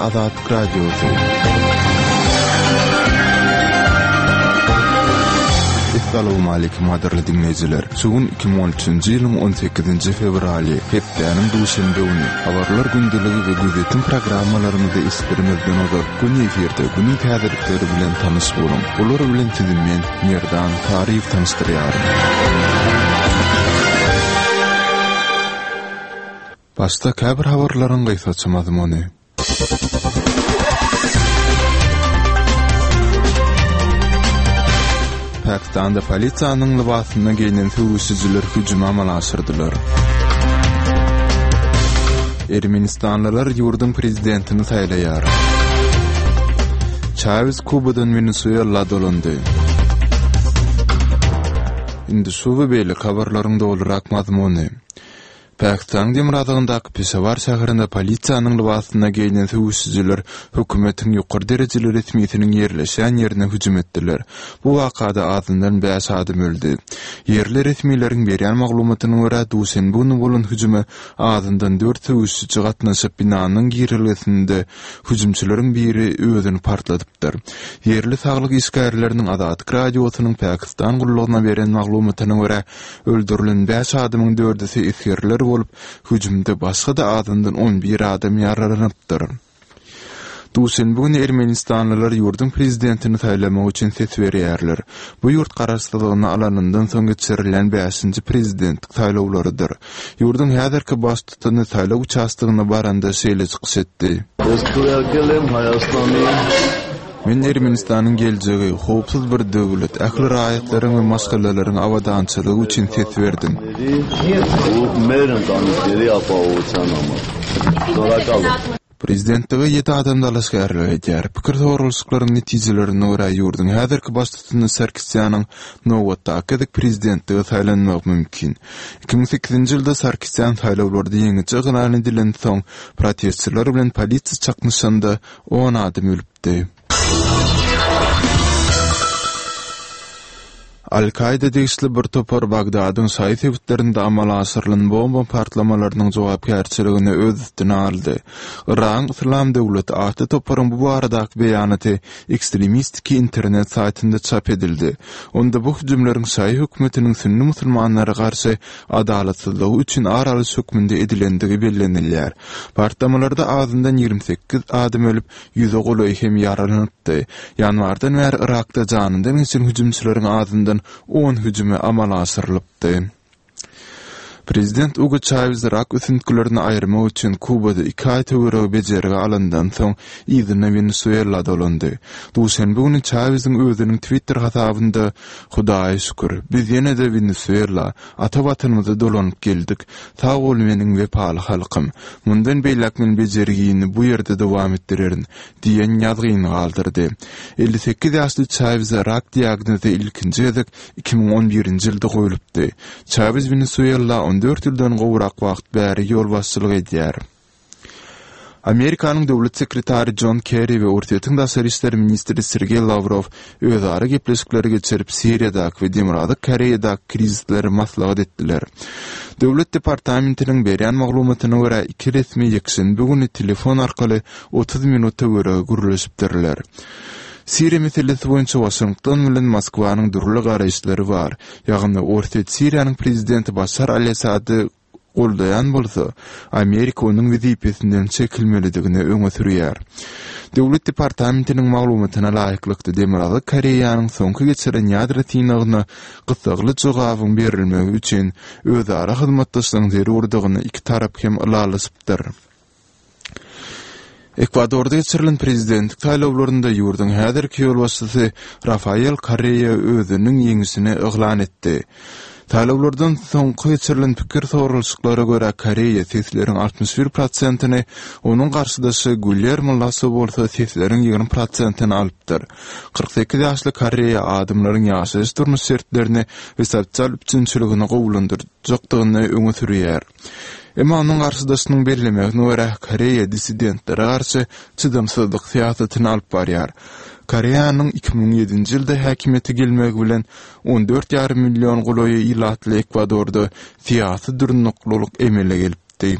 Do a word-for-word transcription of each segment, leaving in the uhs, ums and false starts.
Azatlyk Radiosy. Essalawmaleýkim gadyrly diňleýjiler! Şu gün iki müň on üçünji ýylyň on sekizinji fewraly, hepdäniň duşenbe güni. Habarlar gündeligi we gözýetim programmalarymyzy eşitdirmezden ozal, göni efirde günüň täzelikleri bilen tanyş boluň. Olar bilen sizi men, Merdan Saryýew tanyşdyrýaryn. Başda käbir habarlaryň gysgaça mazmuny. Pakistanda polisiýanyň lybasynda geýnen söweşijiler hüjümi amala aşyrdylar. Ermenistanlylar ýurduň prezidentini saýlaýar. Çawes Kubadan Wenesuela dolandy. Indi şu we beýleki habarlaryň dolurak mazmuny. Pakistanyň demirgazygyndaky Peşawar şäherinde polisiýanyň lybasynda geýnen söweşijiler hökümetiň ýokary derejeli resmisiniň ýerleşýän ýerine hüjüm etdiler. Bu wakada azyndan bäş adam öldi. Ýerli resmileriň berýän maglumatyna görä, duşenbe güni bolan hüjüme azyndan dört söweşiji gatnaşyp, binanyň girelgesinde hüjümçileriň biri özüni partladypdyr. Ýerli saglyk işgärleriniň Azatlyk Radiosynyň Pakistan gullugyna beren maglumatyna görä, Öldürilen bäş adamyň dördüsi esgerler bolup, hüjümde başga-da azyndan on bir adam ýaralanypdyr. Duşenbe güni ermenistanlylar ýurduň prezidentini saýlamak üçin ses berýärler. Bu ýurt garaşsyzlygyny alanyndan soň geçirilýän bäşinji prezidentlik saýlawlarydyr. Ýurduň häzirki baştutany saýlaw uçastogyna baranda şeýle çykyş etdi. Men Ermenistanyň geljegi, howpsuz bir döwlet, ähli raýatlaryň we maşgalalaryň abadançylygy üçin ses berdim. Prezidentlige ýedi adam dalaşgärlik edýär. Pikir soralyşyklaryň netijelerine görä, ýurduň häzirki baştutany Sarkisýanyň nobatdaky gezek prezidentlige saýlanmagy mümkin. Iki müň sekizinji ýylda Sarkisýan saýlawlarda ýeňiji yglan edilensoň, protestçiler bilen polisiýa çaknyşanda on adam ölüpdi. Al-Kaýda degişli bir topar Bagdadyň şaýy sebitlerinde amala aşyrylan bomba partlamalarynyň jogapkärçiligini öz üstüne aldy. Yragyň Yslam döwleti atly toparyň bu baradaky beýanaty ekstremistiki internet saýtynda çap edildi. Onda bu hüjümleriň şaýy hökümetiniň sünni musulmanlara garşy adalatsyzlygy üçin ar alyş hökmünde edilendigi bellenilýär. Partlamalarda azyndan ýigrimi sekiz adam ölüp, ýüze golaýy hem ýaralanypdy. Ýanwardan bäri Yrakda janyndan geçen hüjümçileriň azyndan on hüjümi amala aşyrylypdy. Prezident Ugo Çawez rak ösüntgilerini aýyrmak üçin Kubada iki aý töweregi bejergi alandan soň, yzyna Wenesuela dolandy. Duşenbe güni Çaweziň özüniň Twitter hasabynda, Hudaýa şükür, biz ýene-de Wenesuela, ata Watanymyza dolanyp geldik. Sag bol meniň wepaly halkym. Mundan beýläk men bejergini bu ýerde dowam etdirerin, diýen ýazgyny galdyrdy. Elli sekiz ýaşly Çaweze rak diagnozy ilkinji gezek iki müň on birinji ýylda goýlupdy. Çawez Wenesuela on dört ýyldan gowrak wagt bäri ýolbaşçylyk edýär. Amerikanyň döwlet sekretary Jon Kerri we Orsýetiň daşary işler ministri Sergeý Lawrow özara gepleşikleri geçirip, Siriýadaky we Demirgazyk Koreýadaky krizisleri maslahat etdiler. Döwlet departamentiniň berýän maglumatyna görä, iki resmi ýekşenbe güni telefon arkaly otuz minut töweregi gürleşipdirler. Siriýa meselesi boýunça Waşington bilen Moskwanyň dürli garaýyşlary bar. Ýagny, Orsýet Siriýanyň prezidenti Başar al-Assady goldaýan bolsa, Amerika onuň wezipesinden çekilmelidigini öňe sürýär. Döwlet departamentiniň maglumatyna laýyklykda, Demirgazyk Koreýanyň soňky geçiren ýadro synagyna gyssagly jogabyň berilmegi üçin özara hyzmatdaşlygyň zerurdygyny iki tarap hem ylalaşypdyr. Ekwadorda geçirilen prezidentlik saýlawlarynda ýurduň häzirki ýolbaşçysy Rafael Korrea özüniň ýeňişini yglan etdi. Saýlawlardan soňky geçirilen pikir soralyşyklara görä, Korrea sesleriň altmyş bir prosentini, onuň garşydaşy Guillermo Lasso bolsa sesleriň ýigrimi prosentini alypdyr. Kyrk sekiz ýaşly Korrea adamlaryň ýaşaýyş-durmuş şertlerini we sosial üpjünçiligini gowulandyrjakdygyny öňe sürýär. Emma onuň garşydaşynyň bellemegine görä, Koreýa dissidentlere garşy çydamsyzlyk syýasatyny alyp barýar. Koreýanyň iki müň ýedinji ýylda häkimiýete gelmegi bilen on dört ýarym million golaýy ilatly Ekwadorda syýasy durnuklylyk emele gelipdi.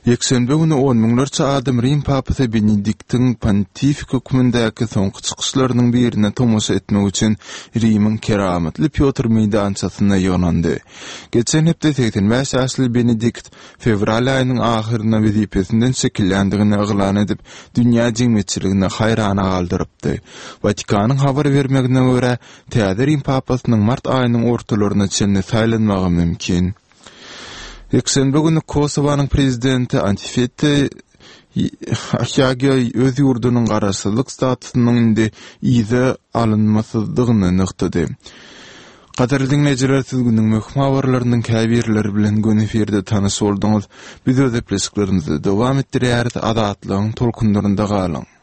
Ýekşenbe güni on müňlerçe adam Rim papasy Benediktiň pontifik hökmündäki soňky çykyşlarynyň birine tomaşa etmek üçin Rimiň Keramatly Pýotr meýdançasynda ýygnandy. Geçen hepde segsen bäş ýaşly Benedikt fewral aýynyň ahyrynda wezipesinden çekilýändigini yglan edip, dünýä jemgyýetçiligini haýrana galdyrypdy. Watikanyň habar bermegine görä, täze Rim papasynyň mart aýynyň ortalaryna çenli saýlanmagy mümkin. Ýekşenbe güni Kosowanyň prezidenti Antifete Ahýagiýa öz ýurdunyň garaşsyzlyk statusynyň indi yza alynmasyzdygyny nygtady. Gadyrly diňleýjiler, siz günüň möhüm habarlarynyň käbirleri bilen göni efirde tanyş bolduňyz. Biz öz gepleşiklerimizi dowam etdirýäris, Azatlygyň tolkunlarynda galyň!